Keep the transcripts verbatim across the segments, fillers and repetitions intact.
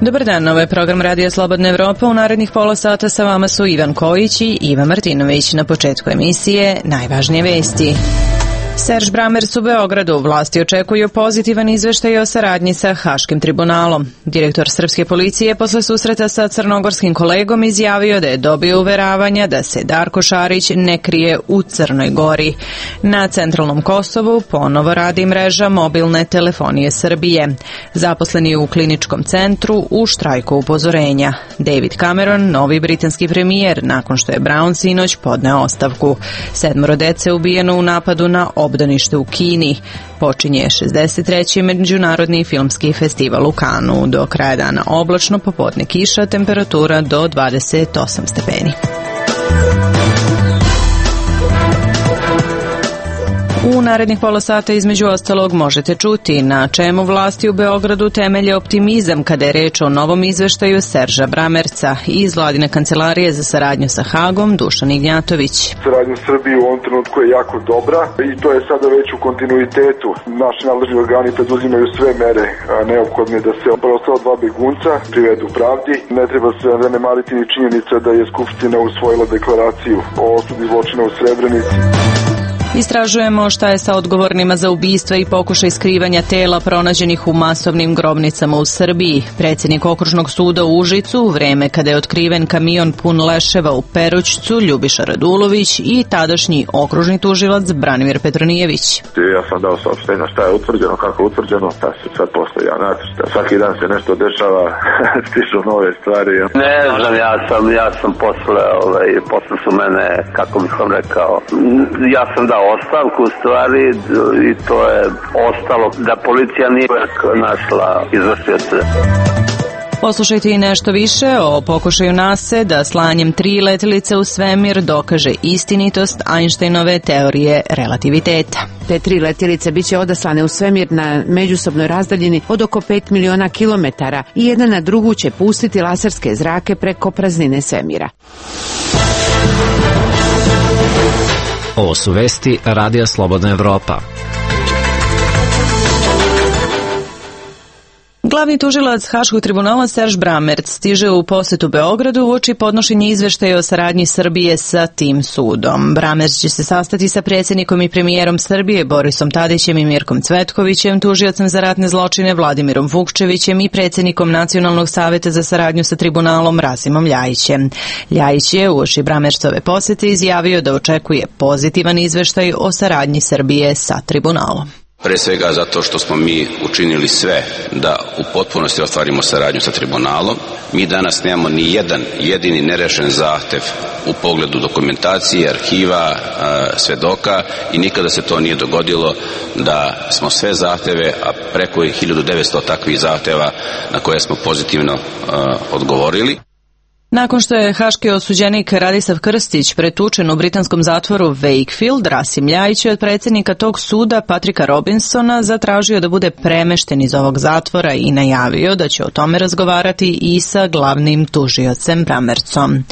Dobar dan, ovo je program Radija Slobodna Evropa. U narednih pola sata sa vama su Ivan Kojić i Iva Martinović. Na početku emisije najvažnije vesti. Serž Bramerc u Beogradu. Vlasti očekuju pozitivan izveštaj o saradnji sa Haškim tribunalom. Direktor srpske policije posle susreta sa crnogorskim kolegom izjavio da je dobio uveravanja da se Darko Šarić ne krije u Crnoj Gori. Na centralnom Kosovu ponovo radi mreža mobilne telefonije Srbije. Zaposleni u kliničkom centru u štrajku upozorenja. David Cameron, novi britanski premijer, nakon što je Brown sinoć podneo ostavku. Sedmoro dece ubijeno u napadu na obdanište u Kini. Počinje šezdeset treći međunarodni filmski festival u Kanu. Do kraja dana oblačno, popodne kiša, temperatura do dvadeset osam stepeni. U narednih pola sata između ostalog možete čuti na čemu vlasti u Beogradu temelje optimizam kada je reč o novom izveštaju Serža Bramerca i iz vladine kancelarije za saradnju sa Hagom Dušan Ignjatović. Saradnja Srbije u ovom trenutku je jako dobra i to je sada već u kontinuitetu. Naši nadležni organi preduzimaju sve mere neophodne da se preostala dva begunca privedu pravdi. Ne treba se zanemariti ni činjenica da je Skupština usvojila deklaraciju o osudi zločina u Srebrenici. Istražujemo šta je sa odgovornima za ubistva i pokušaj skrivanja tela pronađenih u masovnim grobnicama u Srbiji. Predsjednik okružnog suda u Užicu u vreme kada je otkriven kamion pun leševa u Perućcu Ljubiša Radulović i tadašnji okružni tužilac Branimir Petronijević. Ja sam dao saopštenja šta je utvrđeno, kako je utvrđeno, pa se sad postoji nacrt. Svaki dan se nešto dešava, stižu nove stvari. Ne znam, ja sam, ja sam posle, ovaj, posle su mene, kako bih vam rekao, ja sam dao ostavku u stvari i to je ostalo da policija nije našla izvršioce. Poslušajte i nešto više o pokušaju NASA da slanjem tri letelice u svemir dokaže istinitost Einsteinove teorije relativiteta. Te tri letjelice biće odaslane u svemir na međusobnoj razdaljini od oko pet miliona kilometara i jedna na drugu će pustiti laserske zrake preko praznine svemira. Ovo su vesti Radija Slobodna Evropa. Glavni tužilac Haškog tribunala Serž Bramerc stiže u posetu Beogradu uoči podnošenja izveštaja o saradnji Srbije sa tim sudom. Bramerc će se sastati sa predsjednikom i premijerom Srbije Borisom Tadićem i Mirkom Cvetkovićem, tužiocem za ratne zločine Vladimirom Vukčevićem i predsjednikom Nacionalnog saveta za saradnju sa tribunalom Rasimom Ljajićem. Ljajić je uoči Bramercove posete izjavio da očekuje pozitivan izveštaj o saradnji Srbije sa tribunalom. Pre svega zato što smo mi učinili sve da u potpunosti ostvarimo saradnju sa tribunalom. Mi danas nemamo ni jedan jedini nerešen zahtev u pogledu dokumentacije, arhiva, svedoka i nikada se to nije dogodilo da smo sve zahteve, a preko hiljadu devetsto takvih zahteva na koje smo pozitivno odgovorili. Nakon što je haški osuđenik Radislav Krstić pretučen u britanskom zatvoru Wakefield, Rasim Ljajić je od predsjednika tog suda Patrika Robinsona zatražio da bude premešten iz ovog zatvora i najavio da će o tome razgovarati i sa glavnim tužiocem Bramercom.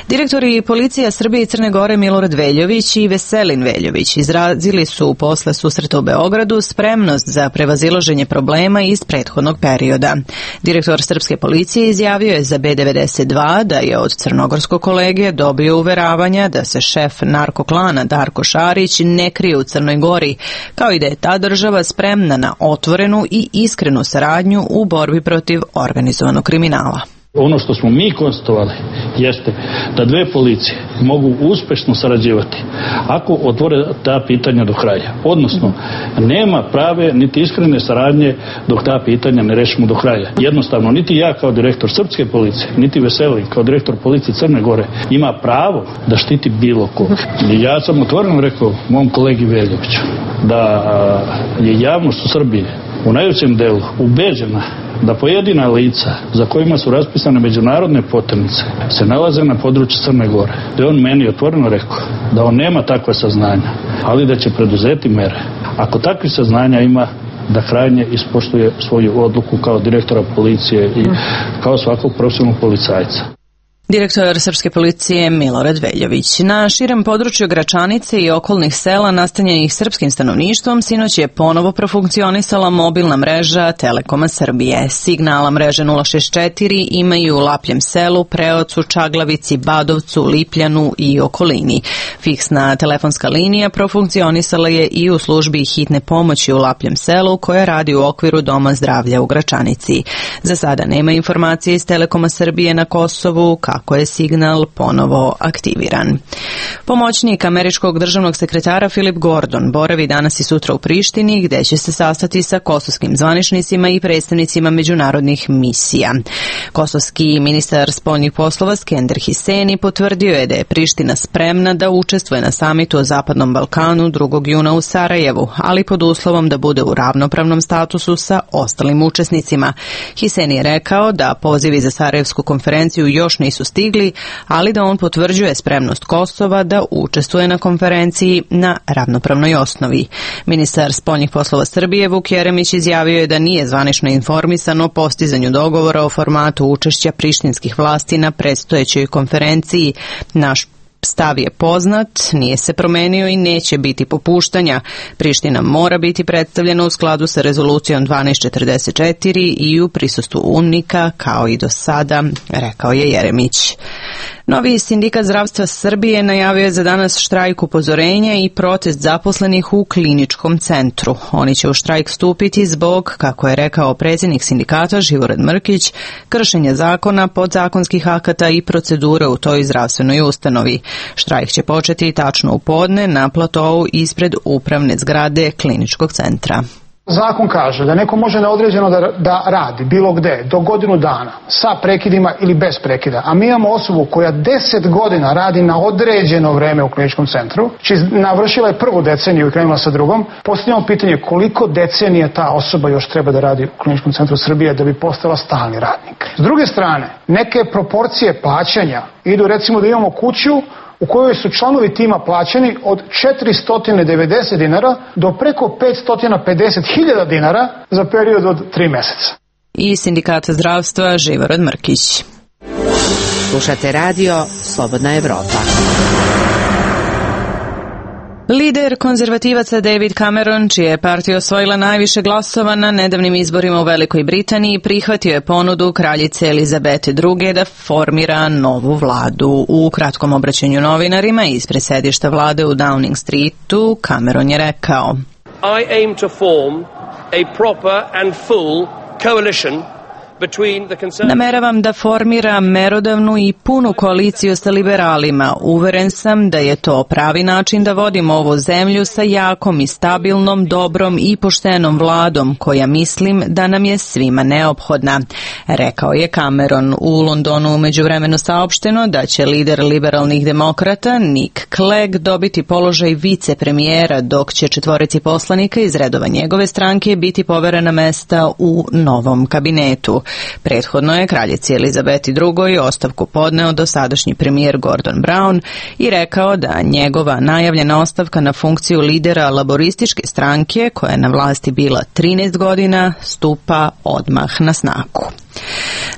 Direktori policija Srbije i Crne Gore Milorad Veljović i Veselin Veljović izrazili su posle susreta u Beogradu spremnost za prevazilaženje problema iz prethodnog perioda. Direktor srpske policije izjavio je za B devedeset dva da je od crnogorskog kolege dobio uveravanja da se šef narkoklana Darko Šarić ne krije u Crnoj Gori, kao i da je ta država spremna na otvorenu i iskrenu saradnju u borbi protiv organizovanog kriminala. Ono što smo mi konstatovali jeste da dve policije mogu uspešno sarađivati ako otvore ta pitanja do kraja. Odnosno, nema prave niti iskrene saradnje dok ta pitanja ne rešimo do kraja. Jednostavno, niti ja kao direktor srpske policije, niti Veselin kao direktor policije Crne Gore ima pravo da štiti bilo ko. I ja sam otvoreno rekao mom kolegi Veljoviću da je javnost u Srbiji u najvećem delu ubeđena da pojedina lica za kojima su raspisane međunarodne poternice se nalaze na području Crne Gore. Da je on meni otvoreno rekao da on nema takve saznanja, ali da će preduzeti mere. Ako takvih saznanja ima, da krajnje ispoštuje svoju odluku kao direktora policije i kao svakog profesionalnog policajca. Direktor srpske policije Milorad Veljović. Na širem području Gračanice i okolnih sela nastanjenih srpskim stanovništvom sinoć je ponovo profunkcionisala mobilna mreža Telekoma Srbije. Signala mreže nula šezdeset četiri imaju u Lapljem selu, Preocu, Čaglavici, Badovcu, Lipljanu i okolini. Fiksna telefonska linija profunkcionisala je i u službi hitne pomoći u Lapljem selu koja radi u okviru Doma zdravlja u Gračanici. Za sada nema informacije iz Telekoma Srbije na Kosovu kako je signal ponovo aktiviran. Pomoćnik američkog državnog sekretara Philip Gordon boravi danas i sutra u Prištini gde će se sastati sa kosovskim zvaničnicima i predstavnicima međunarodnih misija. Kosovski ministar spoljnih poslova Skender Hiseni potvrdio je da je Priština spremna da učestvuje na samitu o Zapadnom Balkanu drugog juna u Sarajevu, ali pod uslovom da bude u ravnopravnom statusu sa ostalim učesnicima. Hiseni je rekao da pozivi za Sarajevsku konferenciju još nisu stigli, ali da on potvrđuje spremnost Kosova da učestvuje na konferenciji na ravnopravnoj osnovi. Ministar spoljnih poslova Srbije Vuk Jeremić izjavio je da nije zvanično informisan o postizanju dogovora o formatu učešća prištinskih vlasti na predstojećoj konferenciji. Naš stav je poznat, nije se promenio i neće biti popuštanja. Priština mora biti predstavljena u skladu sa rezolucijom dvanaest četrdeset četiri i u prisustvu UNMIK-a kao i do sada, rekao je Jeremić. Novi sindikat zdravstva Srbije najavio je za danas štrajk upozorenja i protest zaposlenih u kliničkom centru. Oni će u štrajk stupiti zbog, kako je rekao predsjednik sindikata Živorad Mrkić, kršenja zakona, podzakonskih akata i procedure u toj zdravstvenoj ustanovi. Štrajk će početi tačno u podne na platovu ispred upravne zgrade kliničkog centra. Zakon kaže da neko može na određeno da, da radi bilo gde, do godinu dana, sa prekidima ili bez prekida. A mi imamo osobu koja deset godina radi na određeno vreme u kliničkom centru, či navršila je prvu deceniju i krenula sa drugom. Postavljamo pitanje koliko decenija ta osoba još treba da radi u kliničkom centru Srbije da bi postala stalni radnik. S druge strane, neke proporcije plaćanja idu, recimo da imamo kuću u kojoj su članovi tima plaćeni od četiristo devedeset dinara do preko petsto pedeset hiljada dinara za period od tri meseca. I sindikata zdravstva Živorad Mrkić. Slušate radio Slobodna Evropa. Lider konzervativaca David Cameron, čija je partija osvojila najviše glasova na nedavnim izborima u Velikoj Britaniji, prihvatio je ponudu kraljice Elizabete druge da formira novu vladu. U kratkom obraćanju novinarima ispred sedišta vlade u Downing Streetu, Cameron je rekao: I aim to form a proper and full coalition. Nameravam da formiram merodavnu i punu koaliciju sa liberalima. Uveren sam da je to pravi način da vodimo ovu zemlju sa jakom i stabilnom, dobrom i poštenom vladom, koja mislim da nam je svima neophodna, rekao je Cameron. U Londonu umeđuvremeno saopšteno da će lider liberalnih demokrata Nick Clegg dobiti položaj vicepremijera, dok će četvorici poslanika iz redova njegove stranke biti poverena mesta u novom kabinetu. Prethodno je kraljici Elizabeti drugoj ostavku podneo dosadašnji premijer Gordon Brown i rekao da njegova najavljena ostavka na funkciju lidera laborističke stranke, koja je na vlasti bila trinaest godina, stupa odmah na snagu.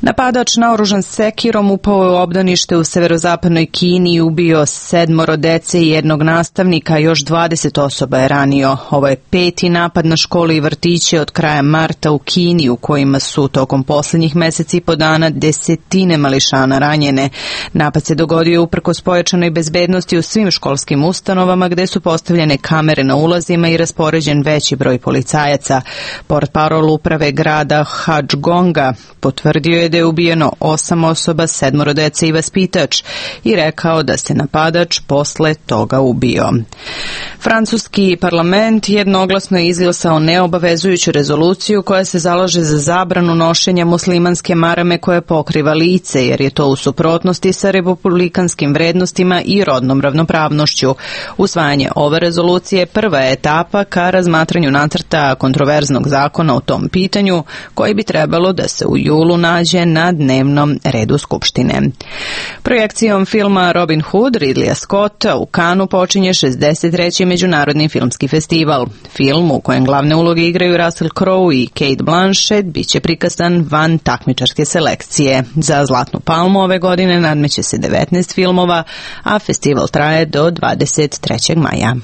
Napadač naoružan sekirom upao je u obdanište u severozapadnoj Kini i ubio sedmoro dece i jednog nastavnika, a još dvadeset osoba je ranio. Ovo je peti napad na škole i vrtiće od kraja marta u Kini, u kojima su tokom posljednjih meseci i po dana desetine mališana ranjene. Napad se dogodio uprkos pojačanoj bezbednosti u svim školskim ustanovama, gde su postavljene kamere na ulazima i raspoređen veći broj policajaca. Portparol uprave grada Hadžgonga potvrdio je da je ubijeno osam osoba, sedmoro dece i vaspitač i rekao da se napadač posle toga ubio. Francuski parlament jednoglasno je izglasao neobavezujuću rezoluciju koja se zalaže za zabranu nošenja muslimanske marame koja pokriva lice, jer je to u suprotnosti sa republikanskim vrednostima i rodnom ravnopravnošću. Usvajanje ove rezolucije prva je etapa ka razmatranju nacrta kontroverznog zakona o tom pitanju, koji bi trebalo da se u julu nađe na dnevnom redu Skupštine. Projekcijom filma Robin Hood Ridleya Scotta u Cannesu počinje šezdeset treći Međunarodni filmski festival. Film u kojem glavne uloge igraju Russell Crowe i Cate Blanchett biće prikazan van takmičarske selekcije. Za Zlatnu palmu ove godine nadmeće se devetnaest filmova, a festival traje do dvadeset trećeg maja.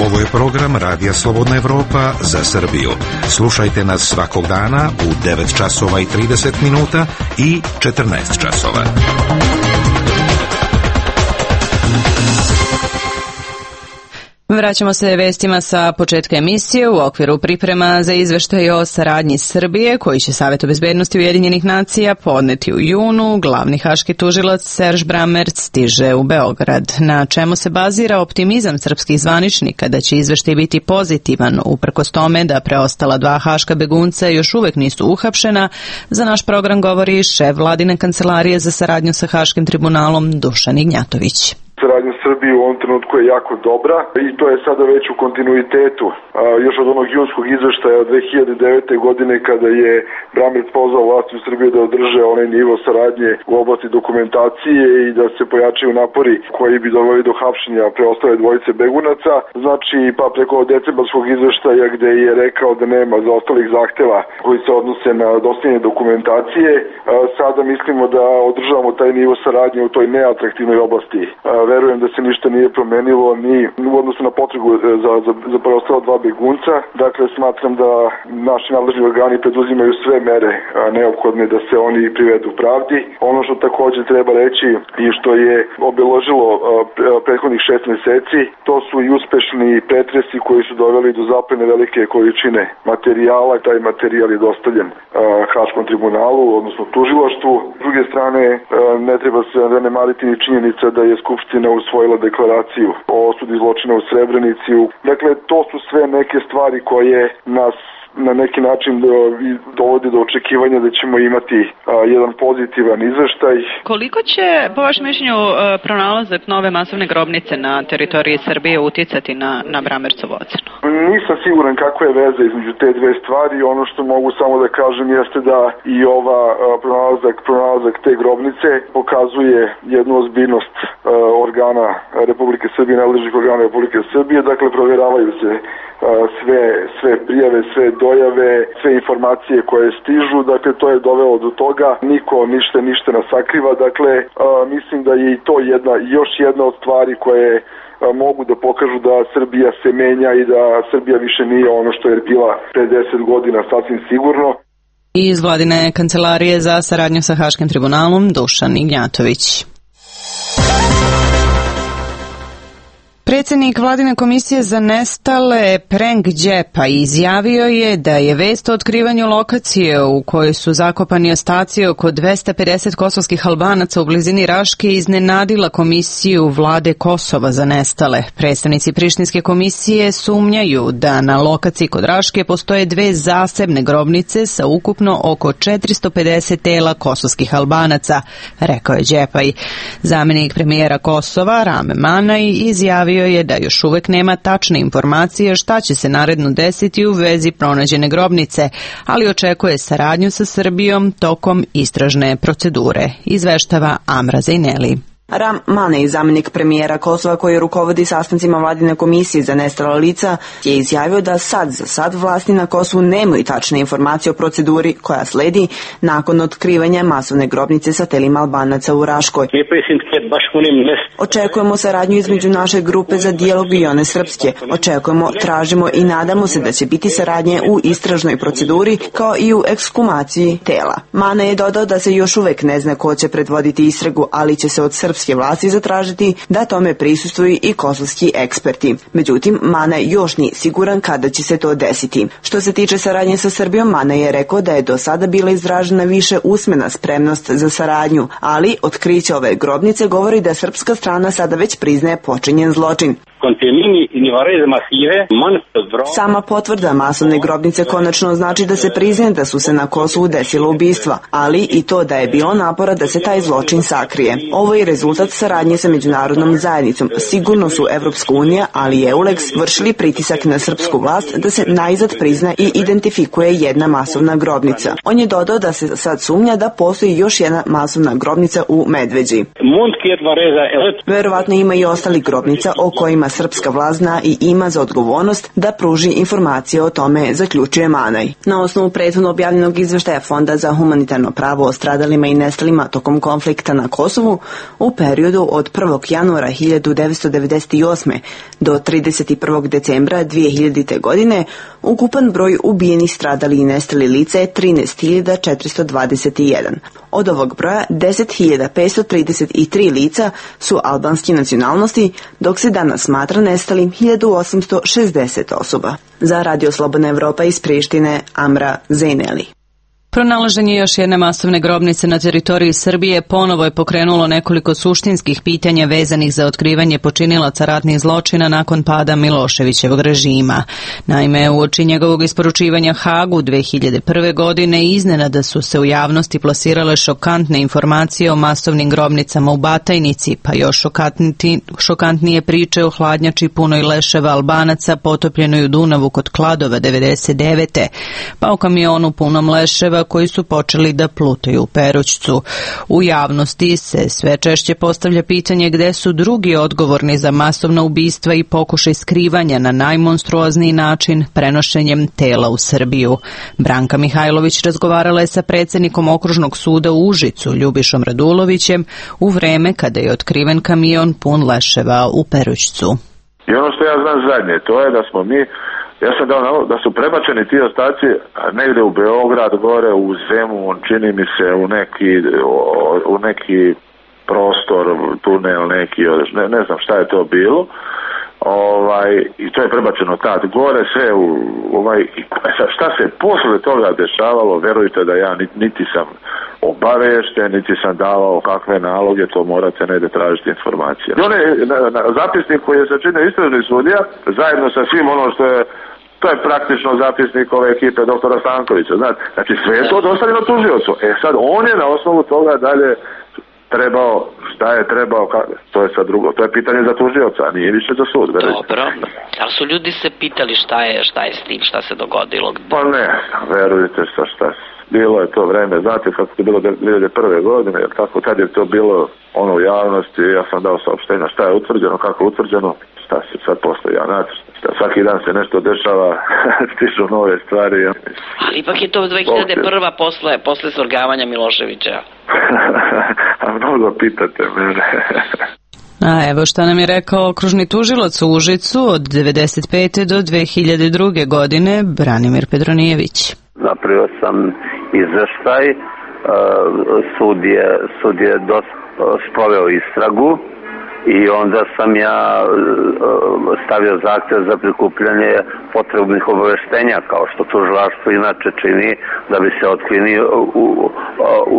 Ovo je program Radija Slobodna Evropa za Srbiju. Slušajte nas svakog dana u devet časova i trideset minuta i četrnaest časova. Vraćamo se vestima sa početka emisije u okviru priprema za izveštaj o saradnji Srbije, koji će Savetu bezbednosti Ujedinjenih nacija podneti u junu. Glavni haški tužilac Serž Brammertz stiže u Beograd. Na čemu se bazira optimizam srpskih zvaničnika da će izveštaj biti pozitivan, uprkos tome da preostala dva haška begunca još uvek nisu uhapšena, za naš program govori šef vladine kancelarije za saradnju sa Haškim tribunalom Dušan Ignjatović. Saradnja Srbije u ovom trenutku je jako dobra i to je sada već u kontinuitetu. A, još od onog junskog izveštaja od dve hiljade devete. godine kada je Brammertz pozvao vlasti u Srbiji da održe onaj nivo saradnje u oblasti dokumentacije i da se pojačaju napori koji bi doveli do hapšenja preostale dvojice begunaca. Znači pa preko decembarskog izveštaja gde je rekao da nema zaostalih zahteva koji se odnose na dostavljanje dokumentacije. A, sada mislimo da održavamo taj nivo saradnje u toj neatraktivnoj oblasti. A, verujem da se ništa nije promenilo ni u odnosu na potrebu za, za, za preostala dva begunca. Dakle, smatram da naši nadležni organi preduzimaju sve mere neophodne da se oni privedu pravdi. Ono što takođe treba reći i što je obeležilo prethodnih šest meseci, to su i uspešni pretresi koji su doveli do zaplene velike količine materijala. Taj materijal je dostavljen Haškom tribunalu, odnosno tužilaštvu. S druge strane, ne treba se zanemariti ni činjenica da je Skupština usvojila deklaraciju o osudi zločina u Srebrenici. Dakle, to su sve neke stvari koje nas na neki način dovodi do očekivanja da ćemo imati a, jedan pozitivan izveštaj. Koliko će, po vašem mišljenju, pronalazak nove masovne grobnice na teritoriji Srbije uticati na, na Brammertzovu ocenu? Nisam siguran kakva je veza između te dve stvari. Ono što mogu samo da kažem jeste da i ova a, pronalazak, pronalazak te grobnice pokazuje jednu ozbiljnost a, organa Republike Srbije, nadležnih organa Republike Srbije. Dakle, provjeravaju se a, sve, sve prijave, sve dojave, sve informacije koje stižu, dakle to je dovelo do toga, niko ništa ništa ne sakriva, dakle a, mislim da je i to jedna, još jedna od stvari koje a, mogu da pokažu da Srbija se menja i da Srbija više nije ono što je bila pre deset godina, sasvim sigurno. Iz vladine kancelarije za saradnju sa Haškim tribunalom Dušan Ignjatović. Predsjednik vladine komisije za nestale Prenk Đepa izjavio je da je vest o otkrivanju lokacije u kojoj su zakopani ostaci oko dvesta pedeset kosovskih Albanaca u blizini Raške iznenadila komisiju vlade Kosova za nestale. Predstavnici Prištinske komisije sumnjaju da na lokaciji kod Raške postoje dve zasebne grobnice sa ukupno oko četiristo pedeset tela kosovskih Albanaca, rekao je Đepaj. Zamenik premijera Kosova Rame Manaj izjavio je da još uvek nema tačne informacije šta će se naredno desiti u vezi pronađene grobnice, ali očekuje saradnju sa Srbijom tokom istražne procedure, izveštava Amra Zejneli. Ram Manej, zamjenik premijera Kosova koji rukovodi sastancima vladine komisije za nestala lica, je izjavio da sad za sad vlasti na Kosovu nemaju tačne informacije o proceduri koja sledi nakon otkrivanja masovne grobnice sa telima Albanaca u Raškoj. Očekujemo saradnju između naše grupe za dijalog i one srpske. Očekujemo, tražimo i nadamo se da će biti saradnje u istražnoj proceduri kao i u ekshumaciji tela. Manej je dodao da se još uvek ne zna ko će predvoditi istragu, ali će se od srpske vlasti zatražiti da tome prisustvuju i kosovski eksperti. Međutim, Mana još nije siguran kada će se to desiti. Što se tiče saradnje sa Srbijom, Mana je rekao da je do sada bila izražena više usmena spremnost za saradnju, ali otkriće ove grobnice govori da srpska strana sada već priznaje počinjen zločin. Sama potvrda masovne grobnice konačno znači da se priznaje da su se na Kosovu desila ubistva, ali i to da je bilo napora da se taj zločin sakrije. Ovo je rezultat saradnje sa međunarodnom zajednicom. Sigurno su Evropska unija, ali i EULEX vršili pritisak na srpsku vlast da se najzad prizna i identifikuje jedna masovna grobnica. On je dodao da se sad sumnja da postoji još jedna masovna grobnica u Medveđi. Verovatno ima i ostali grobnica o kojima srpska vlast zna i ima za odgovornost da pruži informacije o tome, zaključuje Manaj. Na osnovu prethodno objavljenog izveštaja Fonda za humanitarno pravo o stradalima i nestalima tokom konflikta na Kosovu u periodu od prvog januara hiljadu devetsto devedeset osme. do trideset prvog decembra dvije hiljadite. godine ukupan broj ubijenih, stradali i nestali lica je trinaest hiljada četiristo dvadeset jedan. Od ovog broja deset hiljada petsto trideset tri lica su albanske nacionalnosti, dok se danas smatra nestalim hiljadu osamsto šezdeset osoba. Za Radio Slobodna Evropa iz Prištine, Amra Zejneli. Pronalaženje još jedne masovne grobnice na teritoriji Srbije ponovo je pokrenulo nekoliko suštinskih pitanja vezanih za otkrivanje počinilaca ratnih zločina nakon pada Miloševićevog režima. Naime, uoči njegovog isporučivanja Hagu dve hiljade prve. godine iznenada su se u javnosti plasirale šokantne informacije o masovnim grobnicama u Batajnici, pa još šokantni, šokantnije priče o hladnjači punoj leševa Albanaca potopljenoj u Dunavu kod Kladova devedeset devete. pa o kamionu punom leševa koji su počeli da plutaju u Perućcu. U javnosti se sve češće postavlja pitanje gde su drugi odgovorni za masovna ubistva i pokušaj skrivanja na najmonstruozniji način prenošenjem tela u Srbiju. Branka Mihajlović razgovarala je sa predsjednikom Okružnog suda u Užicu, Ljubišom Radulovićem, u vreme kada je otkriven kamion pun leševa u Perućcu. I ono što ja znam zadnje, to je da smo mi Ja sam dao nalog da su prebačeni ti ostaci negdje u Beograd, gore u Zemun, čini mi se u neki, u neki prostor, tunel neki, ne, ne znam šta je to bilo. Ovaj, i to je prebačeno tad gore, sve u ovaj, šta se posle toga dešavalo, verujte da ja niti, niti sam obavešten, niti sam davao kakve naloge, to morate negdje tražiti informacije. I on je na, na, zapisnik koji je sačinio istražni sudija, zajedno sa svim ono što je, to je praktično zapisnik ove ekipe doktora Stankovića, znači, znači sve je to dostavljeno tužiocu. E sad, on je na osnovu toga dalje trebao, šta je trebao, to je sad drugo, to je pitanje za tužioca, a nije više za sud. Dobro, ali su ljudi se pitali šta je, šta je s tim, šta se dogodilo? Pa ne, verujte sa šta bilo je to vreme, znate kako je bilo dvije hiljade prve. godine, jer tako tad je to bilo ono u javnosti, ja sam dao saopštenja šta je utvrđeno, kako je utvrđeno, šta se sad postoji, ja nacrt. Svaki dan se nešto dešava, stižu nove stvari. Ali ipak je to dve hiljade prva. posle, posle svrgavanja Miloševića. A mnogo pitate mene. A evo šta nam je rekao okružni tužilac u Užicu od devedeset pete. do dve hiljade druge. godine, Branimir Petronijević. Napravio sam izveštaj, sud je, sud je dosta sproveo istragu, i onda sam ja stavio zahtjev za prikupljanje potrebnih obaveštenja, kao što tužilaštvo inače čini, da bi se otklini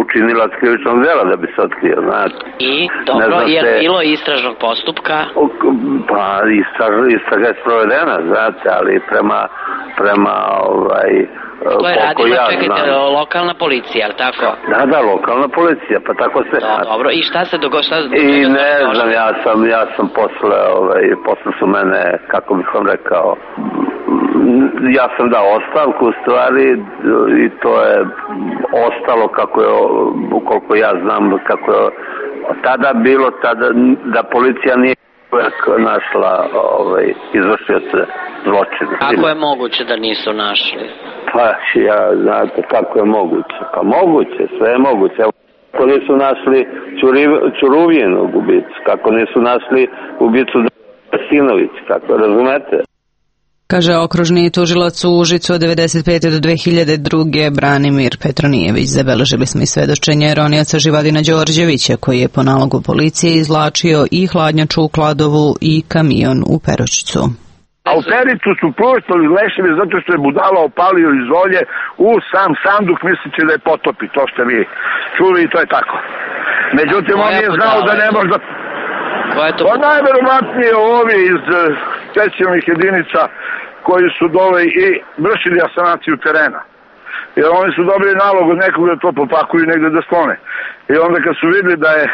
učinilac krivičnog dela, da bi se otkrio, znate. I, dobro, je li bilo istražnog postupka? Pa, istraž, istraga je sprovedena, znate, ali prema, prema, ovaj, to je radila, ja čekajte, znam. Lokalna policija, ali tako? Da, da, lokalna policija, pa tako se... Do, dobro, i šta se dogodilo? I ne znam, ja sam, ja sam posle, ovaj, posle su mene, kako bih vam rekao, ja sam dao ostavku u stvari i to je ostalo kako je, koliko ja znam, kako je tada bilo, tada da policija nije našla ovaj, izvršioce zločina. Kako je moguće da nisu našli? Pa ja, znate, kako je moguće? Pa moguće, sve je moguće. Kako nisu našli Čuruvijenog ubicu, kako nisu našli ubicu Sinović, kako razumete? Kaže okružni tužilac u Užicu od devedeset pete. do dve hiljade druge. Branimir Petronijević. Zabeležili smo i svedočenje ronioca Živadina Đorđevića, koji je po nalogu policije izvlačio i hladnjaču u Kladovu i kamion u Perućcu. A u Pericu su puštali leševe zato što je budala opalio iz olje u sam sanduk misleći da je potopi, to ste vi čuli i to je tako. Međutim, on nije znao da ne može da... Pa najverovatnije ovi iz specijalnih jedinica koji su dole i vršili asanaciju terena. Jer oni su dobili nalog od nekog da to popakuju i negde da sklone. I onda kad su vidjeli da je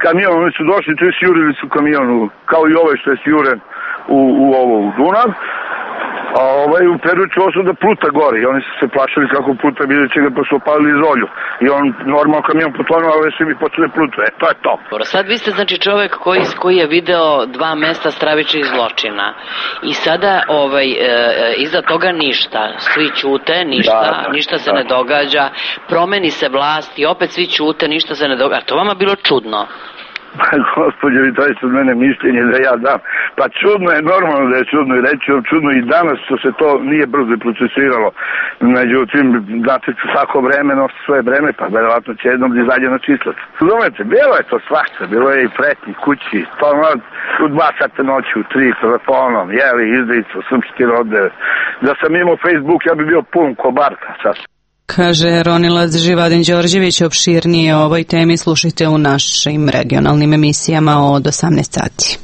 kamion, oni su došli, tu su jurili su kamionu, kao i ovaj što je sjuren u, u ovo u Dunav, a ovaj u Peruću su da pluta gore i oni su se plašili kako pluta, vidjet će ga pa su opalili izolju. I on normalno kamion potonuo, ali svi mi počeli plutu, e to je to. Sad vi ste znači čovek koji, koji je video dva mesta stravičnih zločina i sada ovaj, e, iza toga ništa, svi ćute, ništa, da, da, ništa se da. ne događa, promeni se vlast i opet svi ćute, ništa se ne događa. To vama bilo čudno? Pa gospođo, vi to je od mene mišljenje da ja dam. Pa čudno je, normalno da je čudno i reći vam čudno i danas što se to nije brzo procesiralo. Međutim, znate, svako vreme nosi svoje vreme, pa verovatno će jednom da izađe na čislac. Razumete, bilo je to svašta, bilo je i pretnji kući, to u dva sata noći, u tri telefonom, jeli, izdicu, srpski rode. Da sam imao Facebook, ja bi bio pun ko Barka sad. Kaže Ronilac Živadin Đorđević. Opširnije o ovoj temi slušajte u našim regionalnim emisijama od osamnaest sati.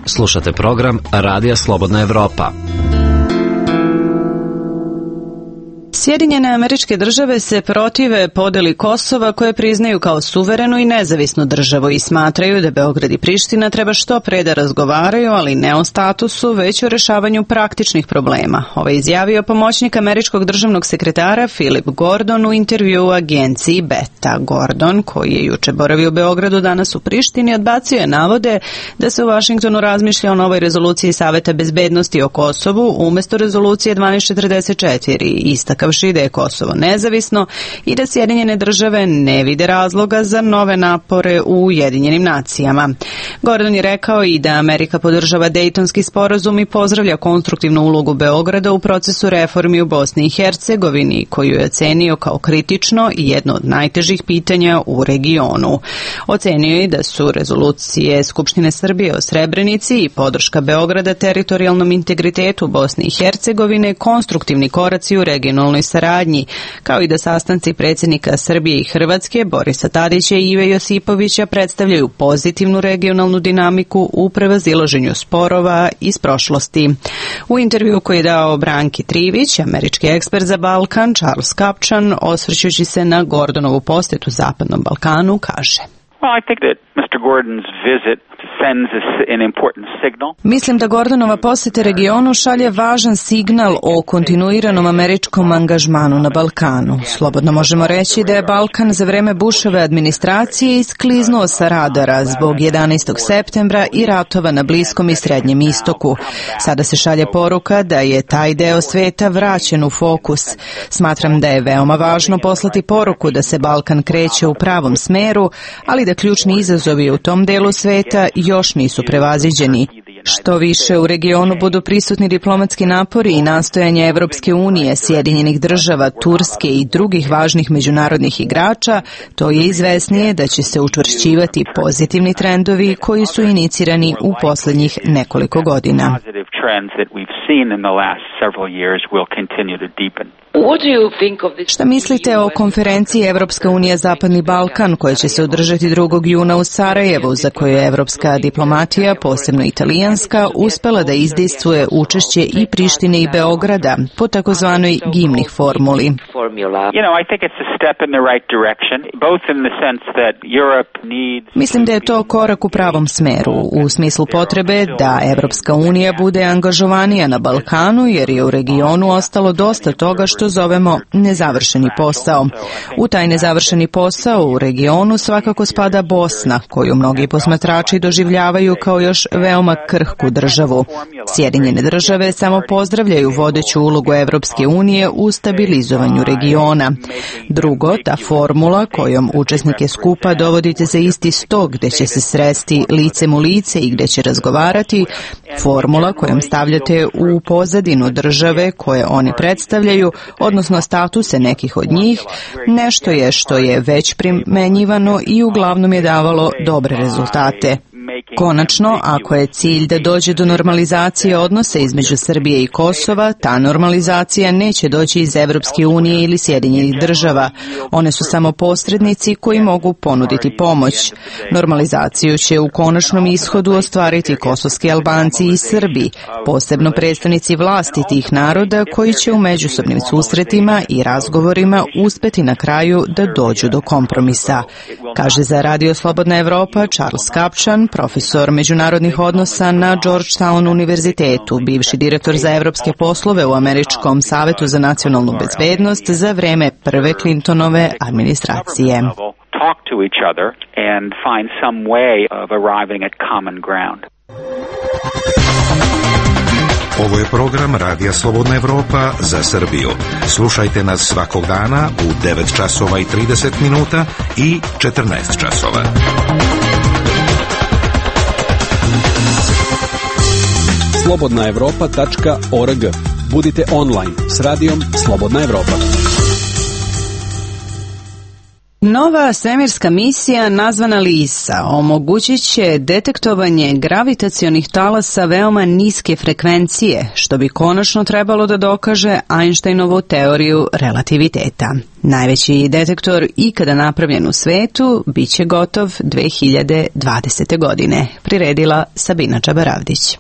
Slušate program Radija Slobodna Evropa. Sjedinjene Američke Države se protive podeli Kosova koje priznaju kao suverenu i nezavisnu državu i smatraju da Beograd i Priština treba što pre da razgovaraju, ali ne o statusu, već o rešavanju praktičnih problema. Ovo je izjavio pomoćnik američkog državnog sekretara Philip Gordon u intervju u agenciji Beta. Gordon, koji je juče boravio u Beogradu, danas u Prištini, odbacio je navode da se u Vašingtonu razmišlja o novoj rezoluciji Saveta bezbednosti o Kosovu umesto rezolucije dvanaest četrdeset četiri, istakavši da je Kosovo nezavisno i da Sjedinjene Države ne vide razloga za nove napore u Ujedinjenim nacijama. Gordon je rekao i da Amerika podržava Dejtonski sporazum i pozdravlja konstruktivnu ulogu Beograda u procesu reformi u Bosni i Hercegovini, koju je ocenio kao kritično i jedno od najtežih pitanja u regionu. Ocenio je da su rezolucije Skupštine Srbije o Srebrenici i podrška Beograda teritorijalnom integritetu Bosne i Hercegovine konstruktivni koraci u regionalnoj saradnji, kao i da sastanci predsjednika Srbije i Hrvatske Borisa Tadića i Ive Josipovića predstavljaju pozitivnu regionalnu dinamiku u prevazilaženju sporova iz prošlosti. U intervju koji je dao Branki Trivić, američki ekspert za Balkan Charles Kapčan, osvrćući se na Gordonovu posetu Zapadnom Balkanu, kaže: Well, I think that mister Gordon's visit sends an important signal. Mislim da Gordonova poseta regionu šalje važan signal o kontinuiranom američkom angažmanu na Balkanu. Slobodno možemo reći da je Balkan za vreme Bushove administracije iskliznuo sa radara zbog jedanaestog septembra i ratova na Bliskom i Srednjem istoku. Sada se šalje poruka da je taj deo sveta vraćen u fokus. Smatram da je veoma važno poslati poruku da se Balkan kreće u pravom smeru, ali da ključni izazovi u tom delu sveta još nisu prevaziđeni. Što više u regionu budu prisutni diplomatski napori i nastojanja Evropske unije, Sjedinjenih Država, Turske i drugih važnih međunarodnih igrača, to je izvesnije da će se učvršćivati pozitivni trendovi koji su inicirani u posljednjih nekoliko godina. Šta mislite o konferenciji Evropska unija Zapadni Balkan koja će se održati drugog juna u Sarajevu, za koju je evropska diplomatija, posebno italijanska, uspela da izdejstvuje učešće i Prištine i Beograda po takozvanoj Gimnih formuli? Mislim da je to korak u pravom smeru, u smislu potrebe da Evropska unija bude angažovanija na Balkanu, jer je u regionu ostalo dosta toga što zovemo nezavršeni posao. U taj nezavršeni posao u regionu svakako spada Bosna, koju mnogi posmatrači doživljavaju kao još veoma krhku državu. Sjedinjene Države samo pozdravljaju vodeću ulogu Evropske unije u stabilizovanju regiona. Drugo, ta formula kojom učesnike skupa dovodite za isti sto gde će se sresti licem u lice i gde će razgovarati, formula kojom stavljate u pozadinu države koje oni predstavljaju, odnosno statuse nekih od njih, nešto je što je već primenjivano i uglavnom je davalo dobre rezultate. Konačno, ako je cilj da dođe do normalizacije odnosa između Srbije i Kosova, ta normalizacija neće doći iz Evropske unije ili Sjedinjenih država. One su samo posrednici koji mogu ponuditi pomoć. Normalizaciju će u konačnom ishodu ostvariti kosovski Albanci i Srbi, posebno predstavnici vlasti tih naroda koji će u međusobnim susretima i razgovorima uspeti na kraju da dođu do kompromisa, kaže za Radio Slobodna Evropa Charles Kapčan, profesor međunarodnih odnosa na Georgetown univerzitetu, bivši direktor za evropske poslove u Američkom savetu za nacionalnu bezbednost za vreme prve Clintonove administracije. Talk to each other and find some way of arriving at common ground. Ovo je program Radija Slobodna Evropa za Srbiju. Slušajte nas svakog dana u devet časova i trideset minuta i četrnaest časova. slobodna evropa tačka org. Budite online s radijom Slobodna Evropa. Nova svemirska misija nazvana LISA omogućit će detektovanje gravitacionih talasa veoma niske frekvencije, što bi konačno trebalo da dokaže Einsteinovu teoriju relativiteta. Najveći detektor ikada napravljen u svetu biće gotov dve hiljade dvadesete. godine, priredila Sabina Čabaravdić.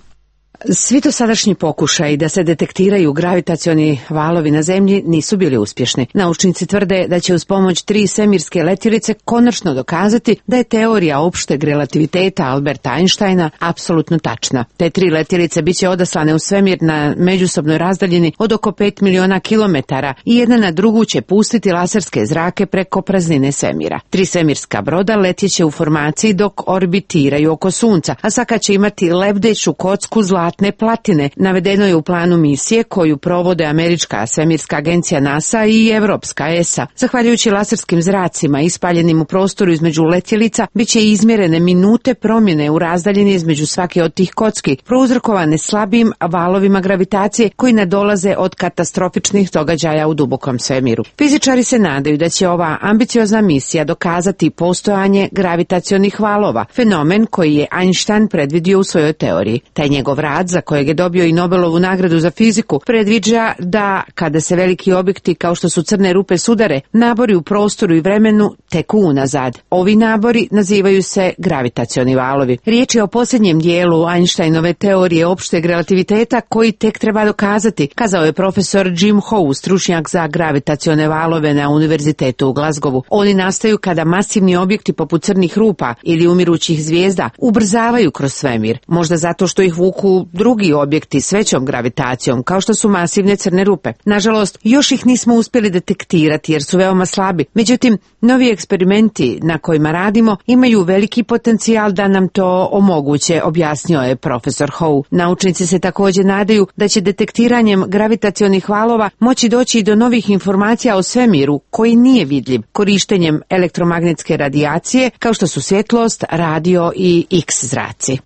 Svi dosadašnji pokušaji da se detektiraju gravitacioni valovi na zemlji nisu bili uspješni. Naučnici tvrde da će uz pomoć tri svemirske letjelice konačno dokazati da je teorija opšteg relativiteta Alberta Einsteina apsolutno tačna. Te tri letjelice biće odaslane u svemir na međusobnoj razdaljini od oko pet miliona kilometara i jedna na drugu će pustiti laserske zrake preko praznine svemira. Tri svemirska broda letjeće u formaciji dok orbitiraju oko Sunca, a svaka će imati lebdeću kocku zlatne platine. Navedeno je u planu misije koju provode američka svemirska agencija NASA i evropska E S A. Zahvaljujući laserskim zracima ispaljenim u prostoru između letjelica, bit će izmjerene minute promjene u razdaljini između svake od tih kocki, prouzrokovane slabim valovima gravitacije koji nadolaze od katastrofičnih događaja u dubokom svemiru. Fizičari se nadaju da će ova ambiciozna misija dokazati postojanje gravitacionih valova, fenomen koji je Einstein predvidio u svojoj teoriji. Taj njegov rad, za kojeg je dobio i Nobelovu nagradu za fiziku, predviđa da kada se veliki objekti kao što su crne rupe sudare, nabori u prostoru i vremenu teku unazad. Ovi nabori nazivaju se gravitacioni valovi. Riječ je o posljednjem dijelu Einsteinove teorije opšteg relativiteta koji tek treba dokazati, kazao je profesor Jim Howe, stručnjak za gravitacione valove na Univerzitetu u Glasgowu. Oni nastaju kada masivni objekti poput crnih rupa ili umirućih zvijezda ubrzavaju kroz svemir, možda zato što ih vuku drugi objekti s većom gravitacijom, kao što su masivne crne rupe. Nažalost, još ih nismo uspjeli detektirati jer su veoma slabi. Međutim, novi eksperimenti na kojima radimo imaju veliki potencijal da nam to omoguće, objasnio je profesor Howe. Naučnici se također nadaju da će detektiranjem gravitacionih valova moći doći i do novih informacija o svemiru koji nije vidljiv, korištenjem elektromagnetske radijacije kao što su svjetlost, radio i X zraci.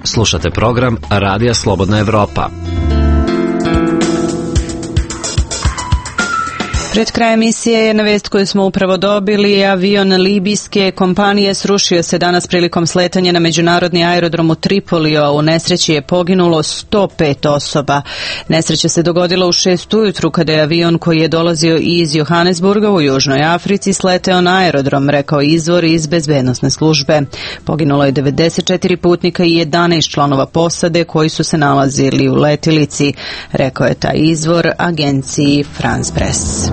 Slušate program Radija Slobodna Evropa. Pred krajem emisije jedna vest koju smo upravo dobili. Avion libijske kompanije srušio se danas prilikom sletanja na međunarodni aerodrom u Tripolio. U nesreći je poginulo sto pet osoba. Nesreća se dogodila u šest ujutru kada je avion koji je dolazio iz Johannesburga u Južnoj Africi sleteo na aerodrom, rekao izvor iz bezbednosne službe. Poginulo je devedeset četiri putnika i jedanaest članova posade koji su se nalazili u letilici, rekao je taj izvor agenciji France Press.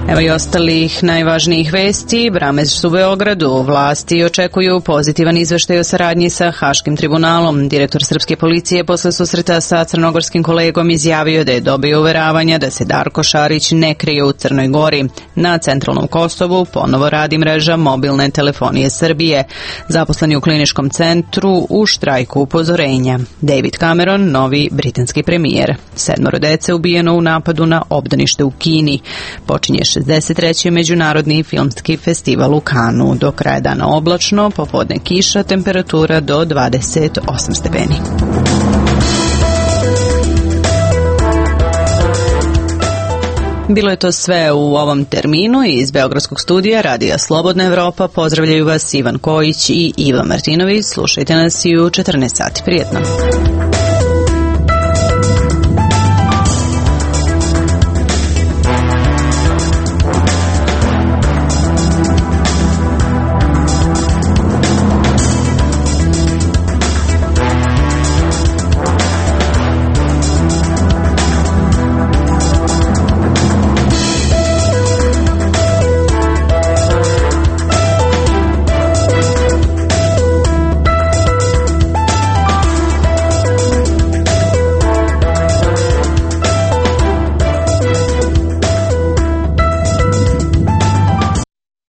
Evo i ostalih najvažnijih vesti. Bramers u Beogradu. Vlasti očekuju pozitivan izveštaj o saradnji sa Haškim tribunalom. Direktor srpske policije posle susreta sa crnogorskim kolegom izjavio da je dobio uveravanja da se Darko Šarić ne krije u Crnoj Gori. Na centralnom Kosovu ponovo radi mreža mobilne telefonije Srbije. Zaposleni u kliničkom centru u štrajku upozorenja. David Cameron, novi britanski premijer. Sedmoro dece ubijeno u napadu na obdanište u Kini. Počinje šezdeset treći međunarodni filmski festival u Kanu. Do kraja dana oblačno, popodne kiša, temperatura do dvadeset osam stepeni. Bilo je to sve u ovom terminu i iz Beogradskog studija Radija Slobodna Evropa. Pozdravljaju vas Ivan Kojić i Iva Martinović. Slušajte nas i u četrnaest sati. Prijetno.